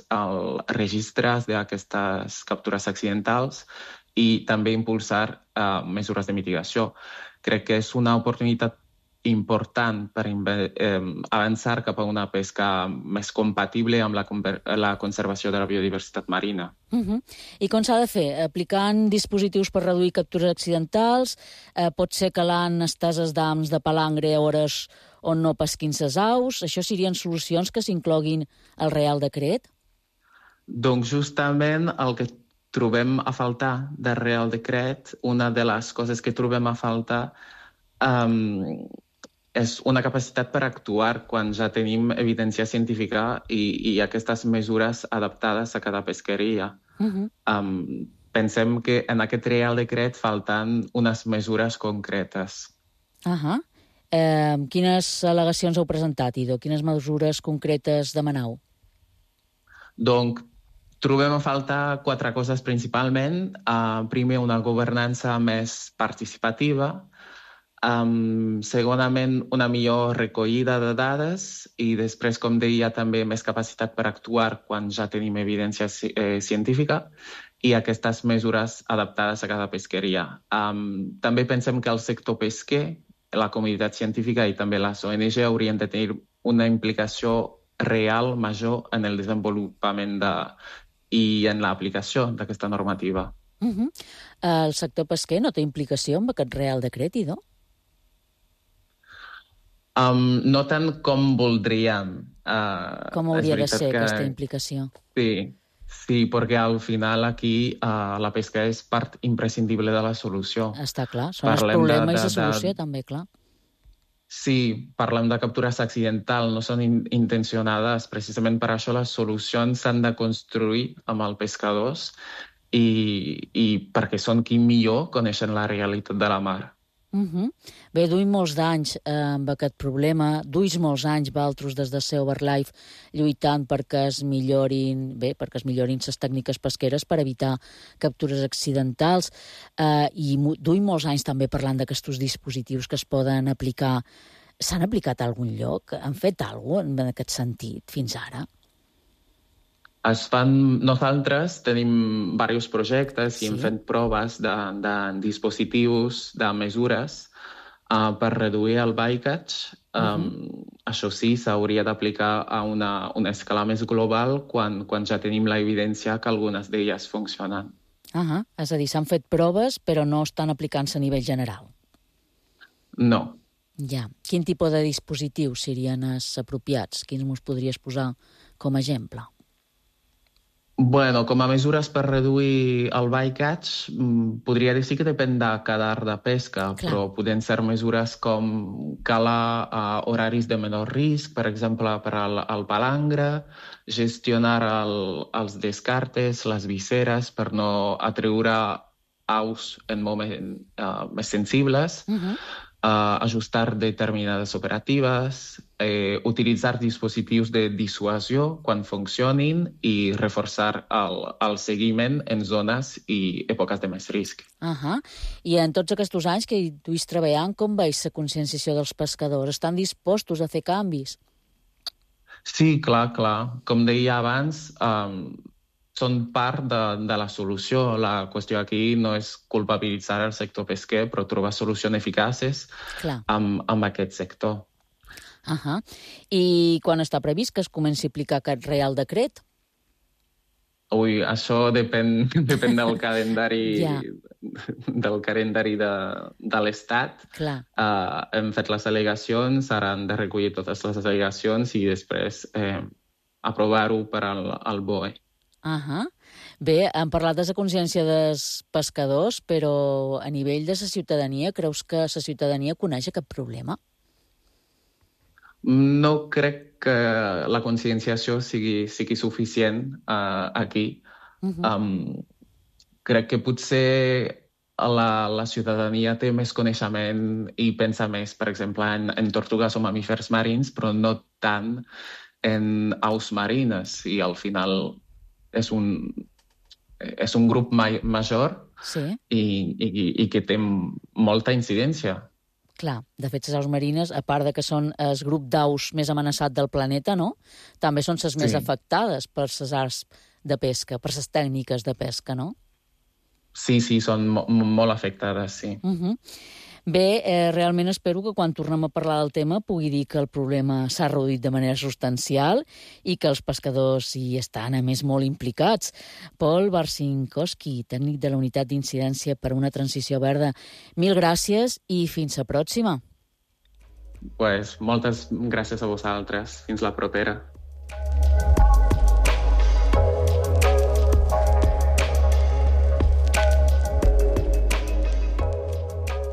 registres d'aquestes captures accidentals i també impulsar mesures de mitigació. Crec que és una oportunitat important per avançar cap a una pesca més compatible amb la conservació de la biodiversitat marina. I com s'ha de fer? Aplicant dispositius per reduir captures accidentals? Pot ser calant esteses d'ams de palangre a hores on no pesquin ses aus? Això serien solucions que s'incloguin al Reial Decret? Doncs justament el que trobem a faltar del Reial Decret, una de les coses que trobem a faltar és una capacitat per actuar quan ja tenim evidència científica i aquestes mesures adaptades a cada pesqueria. Pensem que en aquest Reial Decret falten unes mesures concretes. Quines al·legacions heu presentat, Ido? Quines mesures concretes demaneu? Donc, trobem a faltar 4 coses principalment. Primer, una governança més participativa. Segonament, una millor recollida de dades i després, com deia, també més capacitat per actuar quan ja tenim evidència científica i aquestes mesures adaptades a cada pesqueria. També pensem que el sector pesquer, la comunitat científica i també les ONG haurien de tenir una implicació real major en el desenvolupament i en l'aplicació d'aquesta normativa. El sector pesquer no té implicació amb aquest Reial Decret, Ido? No tant com voldríem. Com hauria de ser aquesta implicació? Sí, perquè al final aquí la pesca és part imprescindible de la solució. Està clar, són els problemes i la solució també, clar. Sí, parlem de captures accidentals, no són intencionades. Precisament per això les solucions s'han de construir amb els pescadors i perquè són qui millor coneixen la realitat de la mar. Bé, duim molts d'anys amb aquest problema, duis molts anys vosaltres des de Sea Over Life lluitant perquè es millorin les tècniques pesqueres per evitar captures accidentals i duim molts anys també parlant d'aquests dispositius que es poden aplicar. S'han aplicat a algun lloc? Han fet alguna cosa en aquest sentit fins ara? Nosaltres tenim diversos projectes i hem fet proves de dispositius, de mesures per reduir el bycatch. Això sí, s'hauria d'aplicar a una escala més global quan ja tenim l'evidència que algunes d'elles funcionen. És a dir, s'han fet proves però no estan aplicant-se a nivell general. No. Ja. Quin tipus de dispositius serien els apropiats? Quins mos podries posar com a exemple? Bueno, com a mesures per reduir el bycatch, podria dir que depèn de cada art de pesca, però poden ser mesures com calar horaris de menor risc, per exemple, per al palangre, gestionar els descartes, les visceres, per no atreure aus en moments més sensibles, ajustar determinades operatives, utilitzar dispositius de dissuasió quan funcionin i reforçar el seguiment en zones i èpoques de més risc. I en tots aquests anys que hi duis treballant, com veus la conscienciació dels pescadors? Estan dispostos a fer canvis? Sí, clar. Com deia abans, són part de la solució. La qüestió aquí no és culpabilitzar el sector pesquer, però trobar solucions eficaces amb aquest sector. I quan està previst que es comenci a aplicar aquest Reial Decret? Això depèn del calendari de l'Estat. Hem fet les al·legacions, ara han de recollir totes les al·legacions i després aprovar-ho per al BOE. Bé, hem parlat de la consciència dels pescadors, però a nivell de la ciutadania, creus que la ciutadania coneix aquest problema? No crec que la conscienciació sigui suficient aquí. Crec que potser la ciutadania té més coneixement i pensa més, per exemple, en tortugues o mamífers marins, però no tant en aus marines. I al final és un grup major i que té molta incidència. Clar, de fet, les aus marines, a part de que són el grup d'aus més amenaçat del planeta, no? També són les més afectades per les arts de pesca, per les tècniques de pesca, no? Sí, són molt afectades, sí. Bé, realment espero que quan tornem a parlar del tema pugui dir que el problema s'ha reduït de manera substancial i que els pescadors hi estan, a més, molt implicats. Pol Barcinkowski, tècnic de la Unitat d'Incidència per a una Transició Verda, mil gràcies i fins la pròxima. Moltes gràcies a vosaltres. Fins la propera.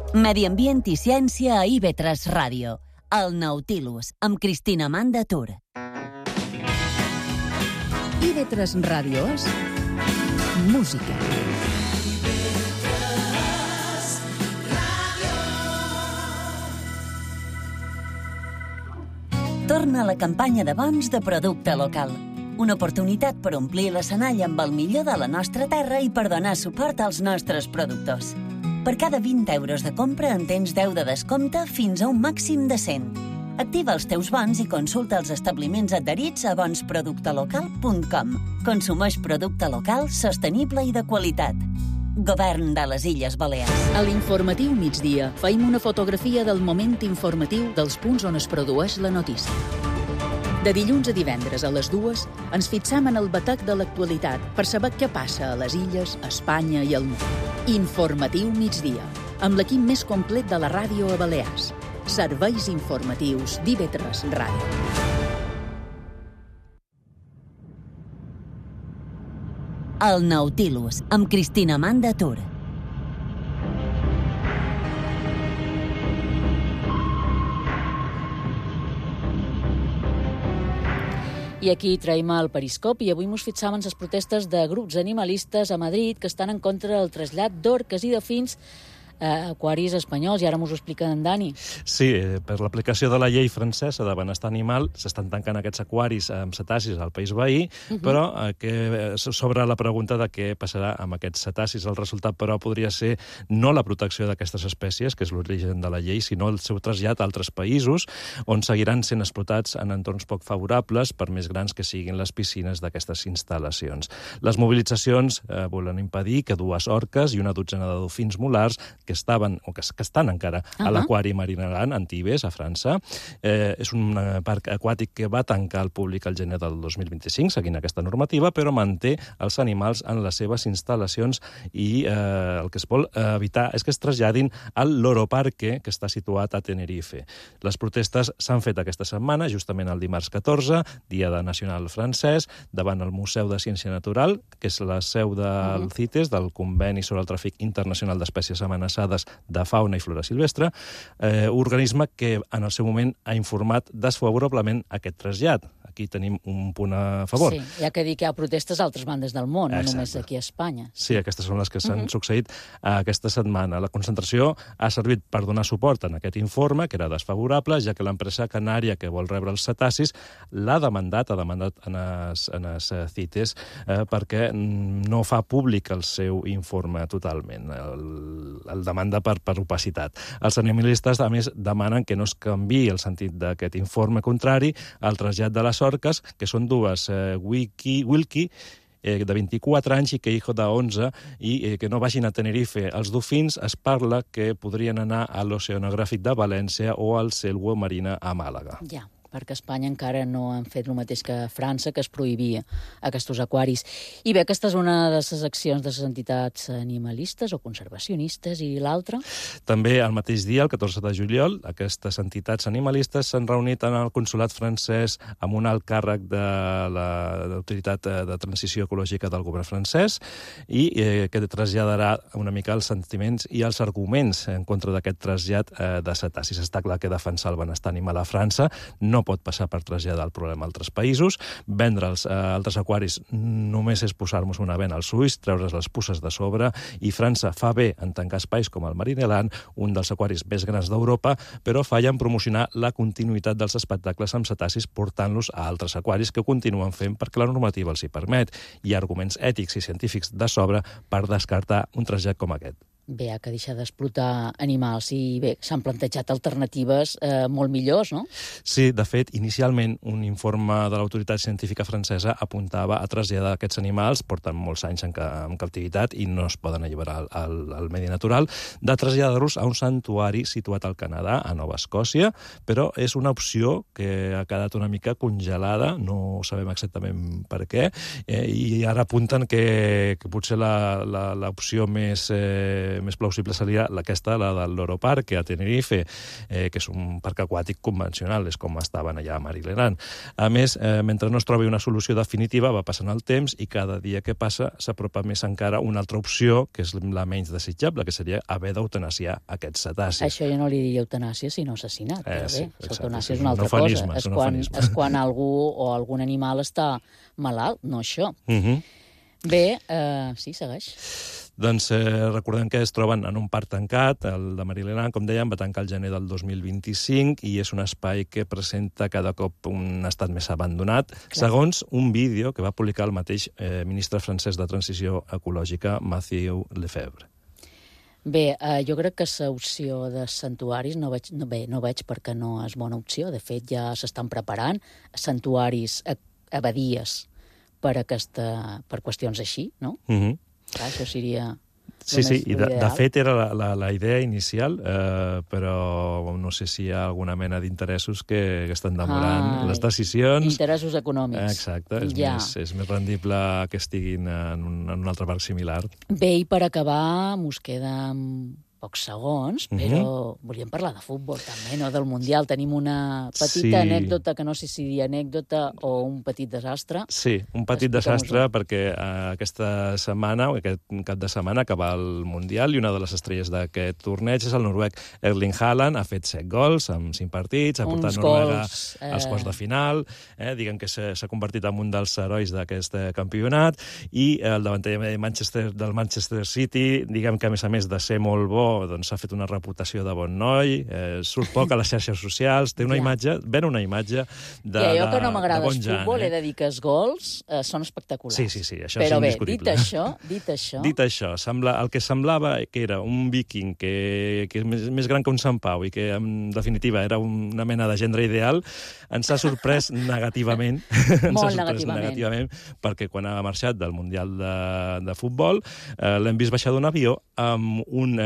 Medi Ambient i Ciència a IB3 Ràdio, El Nautilus, amb Cristina Amanda Tur. IB3 Ràdio és música. Torna a la campanya de bons de producte local. Una oportunitat per omplir l'escenari amb el millor de la nostra terra i per donar suport als nostres productors. Per cada 20 euros de compra en tens 10 de descompte fins a un màxim de 100. Activa els teus bons i consulta els establiments adherits a bonsproductelocal.com. Consumeix producte local, sostenible i de qualitat. Govern de les Illes Balears. A l'informatiu migdia feim una fotografia del moment informatiu dels punts on es produeix la notícia. De dilluns a divendres a les 2 ens fixam en el batec de l'actualitat per saber què passa a les illes, a Espanya i al món. Informatiu migdia, amb l'equip més complet de la ràdio a Balears. Serveis informatius d'IB3 Ràdio. El Nautilus, amb Cristina Amanda Tur. I aquí traiem el periscopi i avui mos fixam en les protestes de grups animalistes a Madrid que estan en contra del trasllat d'orques i delfins a aquaris espanyols, i ara m'ho explica en Dani. Sí, per l'aplicació de la llei francesa de benestar animal s'estan tancant aquests aquaris amb cetacis al país veí, però sobre la pregunta de què passarà amb aquests cetacis. El resultat, però, podria ser no la protecció d'aquestes espècies, que és l'origen de la llei, sinó el seu trasllat a altres països, on seguiran sent explotats en entorns poc favorables, per més grans que siguin les piscines d'aquestes instal·lacions. Les mobilitzacions volen impedir que 2 orques i una dotzena de dofins molars que estan encara a l'aquari Marineland, Antibes, a França. És un parc aquàtic que va tancar al públic al gener del 2025, seguint aquesta normativa, però manté els animals en les seves instal·lacions i el que es vol evitar és que es traslladin al Loro Parque, que està situat a Tenerife. Les protestes s'han fet aquesta setmana, justament el dimarts 14, Dia Nacional francès, davant el Museu de Ciència Natural, que és la seu del CITES, del Conveni sobre el Tràfic Internacional d'Espècies Amenaçades de fauna i flora silvestre, organisme que en el seu moment ha informat desfavorablement aquest trasllat. Aquí tenim un punt a favor. Sí, hi ha que dir que hi ha protestes a altres bandes del món, no només aquí a Espanya. Sí, aquestes són les que s'han succeït aquesta setmana. La concentració ha servit per donar suport en aquest informe, que era desfavorable, ja que l'empresa canària que vol rebre els cetacis ha demandat en els CITES perquè no fa públic el seu informe totalment. El demanda per opacitat. Els animalistes, a més, demanen que no es canviï el sentit d'aquest informe contrari al trasllat de les orques, que són 2, Wilkie, de 24 anys, i Queijo, de 11, i que no vagin a Tenerife. Els dofins es parla que podrien anar a l'Oceanogràfic de València o al Selwo Marina a Màlaga. Ja, perquè a Espanya encara no han fet el mateix que a França, que es prohibia aquests aquaris. I bé, aquesta és una de les accions de les entitats animalistes o conservacionistes, i l'altra? També el mateix dia, el 14 de juliol, aquestes entitats animalistes s'han reunit en el consolat francès amb un alt càrrec de l'Autoritat de Transició Ecològica del govern francès i que traslladarà una mica els sentiments i els arguments en contra d'aquest trasllat de cetacis. Està clar que defensar el benestar animal a França no pot passar per traslladar el problema a altres països. Vendre'ls a altres aquaris només és posar-nos una bena als ulls, treure's les puces de sobre, i França fa bé en tancar espais com el Marineland, un dels aquaris més grans d'Europa, però falla en promocionar la continuïtat dels espectacles amb cetacis portant-los a altres aquaris que ho continuen fent perquè la normativa els hi permet. Hi ha arguments ètics i científics de sobre per descartar un trasllat com aquest. Bé, ha que deixar d'explotar animals, i bé, s'han plantejat alternatives molt millors, no? Sí, de fet, inicialment un informe de l'autoritat científica francesa apuntava a traslladar aquests animals, porten molts anys en captivitat i no es poden alliberar al medi natural, de traslladar-los a un santuari situat al Canadà, a Nova Escòcia, però és una opció que ha quedat una mica congelada, no sabem exactament per què, i ara apunten que potser l'opció més més plausible seria aquesta, la del Loro Parque, a Tenerife, que és un parc aquàtic convencional, és com estaven allà a Marileland. A més, mentre no es trobi una solució definitiva, va passant el temps i cada dia que passa s'apropa més encara una altra opció, que és la menys desitjable, que seria haver d'eutanasiar aquests cetacis. Això jo no li diria eutanàsia, sinó assassinat. Però bé, l'eutanàsia és una altra eufemisme, cosa. És quan algú o algun animal està malalt, no això. Bé, sí, segueix. Doncs recordem que es troben en un parc tancat, el de Marileland, com dèiem, va tancar el gener del 2025 i és un espai que presenta cada cop un estat més abandonat, segons un vídeo que va publicar el mateix ministre francès de Transició Ecològica, Mathieu Lefebvre. Bé, jo crec que l'opció de santuaris no veig perquè no és bona opció. De fet, ja s'estan preparant santuaris, abadies, per qüestions així, no? Clar, això seria... Sí, i de fet era la idea inicial, però no sé si hi ha alguna mena d'interessos que estan demorant les decisions. Interessos econòmics. Exacte, és més rendible que estiguin en un altre parc similar. Bé, i per acabar, mos queden pocs segons, però volíem parlar de futbol també, no? Del Mundial. Tenim una petita anècdota, que no sé si dir anècdota o un petit desastre. Sí, un petit desastre perquè aquesta setmana, o aquest cap de setmana, acaba el Mundial i una de les estrelles d'aquest torneig és el noruec Erling Haaland. Ha fet 7 gols en 5 partits, ha portat Noruega als quarts de final, diguem que s'ha convertit en un dels herois d'aquest campionat, i el davanter del Manchester City, diguem que a més de ser molt bo, doncs s'ha fet una reputació de bon noi, surt poc a les xarxes socials, té una imatge, ven una imatge de bon jan. I allò que no m'agrada el futbol, he de dir que els gols són espectaculars. Sí, això és indiscutible. Però bé, dit això, el que semblava que era un viking que és més gran que un Sant Pau i que, en definitiva, era una mena de gendre ideal, ens ha sorprès negativament. Molt negativament. Perquè quan ha marxat del Mundial de Futbol l'hem vist baixar d'un avió amb un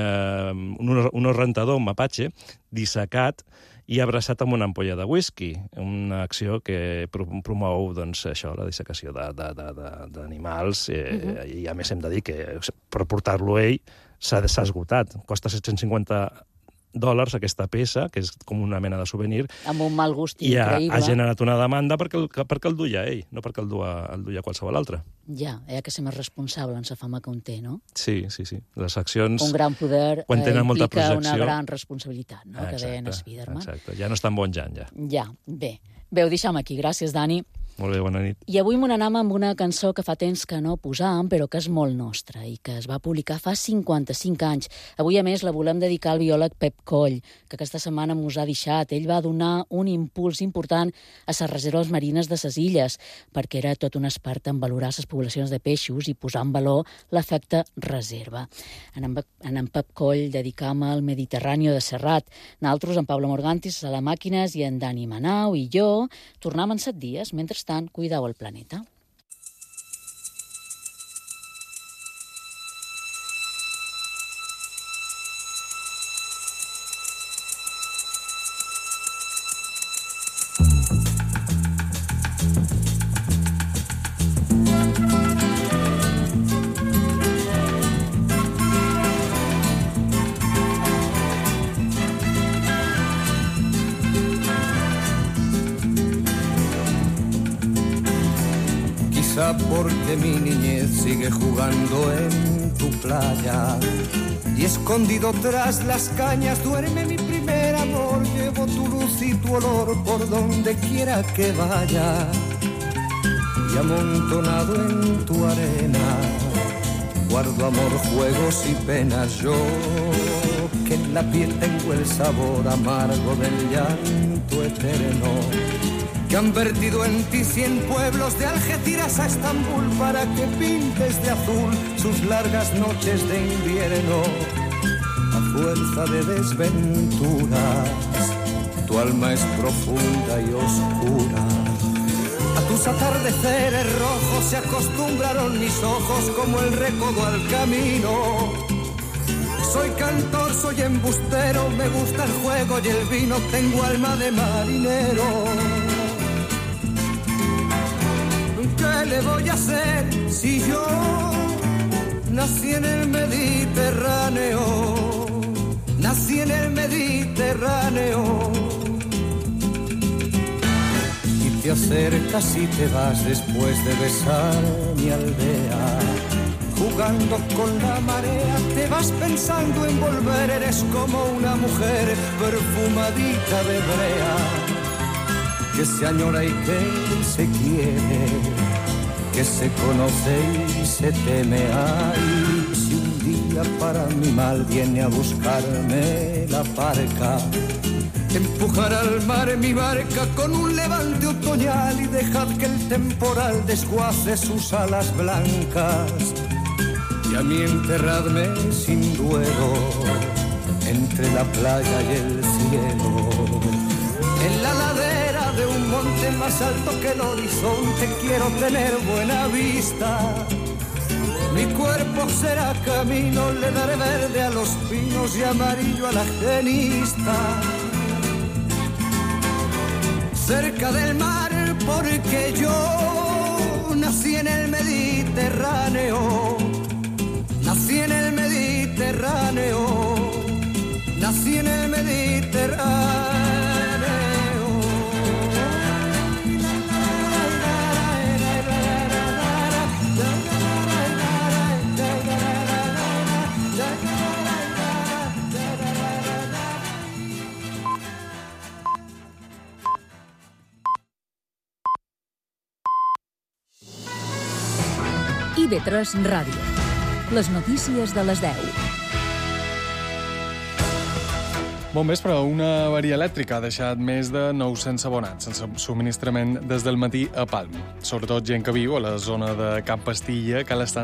rentador, un mapache, dissecat i abraçat amb una ampolla de whisky, una acció que promou, doncs, això, la dissecació d'animals, i a més hem de dir que per portar-lo ell s'ha esgotat. Costa $750 aquesta peça, que és com una mena de souvenir. Amb un mal gust increïble. I ha generat una demanda perquè el duia ell, no perquè el duia qualsevol altre. Ja, que ser més responsable en la fama que un té, no? Sí. Les accions... Un gran poder implica una gran responsabilitat, no? Exacte, que deien Spiderman. Exacte, ja no és tan bon Jan, ja. Ja, bé. Ho deixem aquí. Gràcies, Dani. Molt bé, bona nit. I avui m'ho anam amb una cançó que fa temps que no posàvem, però que és molt nostra i que es va publicar fa 55 anys. Avui, a més, la volem dedicar al biòleg Pep Coll, que aquesta setmana mos ha deixat. Ell va donar un impuls important a les reserves marines de les illes, perquè era tot un expert en valorar les poblacions de peixos i posar en valor l'efecte reserva. En Pep Coll dedicam al Mediterrani de Serrat. Nosaltres, en Pablo Morgantis, a la Màquines, i en Dani Manau i jo, tornam en 7 dies. Mentrestant, cuideu el planeta. Porque mi niñez sigue jugando en tu playa y escondido tras las cañas duerme mi primer amor. Llevo tu luz y tu olor por donde quiera que vaya y amontonado en tu arena guardo amor, juegos y penas. Yo que en la piel tengo el sabor amargo del llanto eterno, que han vertido en ti 100 pueblos de Algeciras a Estambul para que pintes de azul sus largas noches de invierno. A fuerza de desventuras, tu alma es profunda y oscura. A tus atardeceres rojos se acostumbraron mis ojos como el recodo al camino. Soy cantor, soy embustero, me gusta el juego y el vino, tengo alma de marinero. ¿Qué le voy a hacer si yo nací en el Mediterráneo, nací en el Mediterráneo. Y te acercas y te vas después de besar mi aldea. Jugando con la marea, te vas pensando en volver. Eres como una mujer perfumadita de brea, que se añora y que se quiere, que se conoce y se teme. Ay, si un día para mi mal viene a buscarme la parca, empujar al mar mi barca con un levante otoñal y dejad que el temporal desguace sus alas blancas. Y a mí enterradme sin duelo entre la playa y el cielo, en la ladera de un monte más alto que el horizonte. Quiero tener buena vista, mi cuerpo será camino, le daré verde a los pinos y amarillo a la genista. Cerca del mar, porque yo nací en el Mediterráneo, nací en el Mediterráneo, nací en el Mediterráneo. IB3 Ràdio. Les notícies de les 10. Bon vespre. Una avaria elèctrica ha deixat més de 900 abonats sense subministrament des del matí a Palma. Sobretot gent que viu a la zona de Camp Pastilla, que l'estan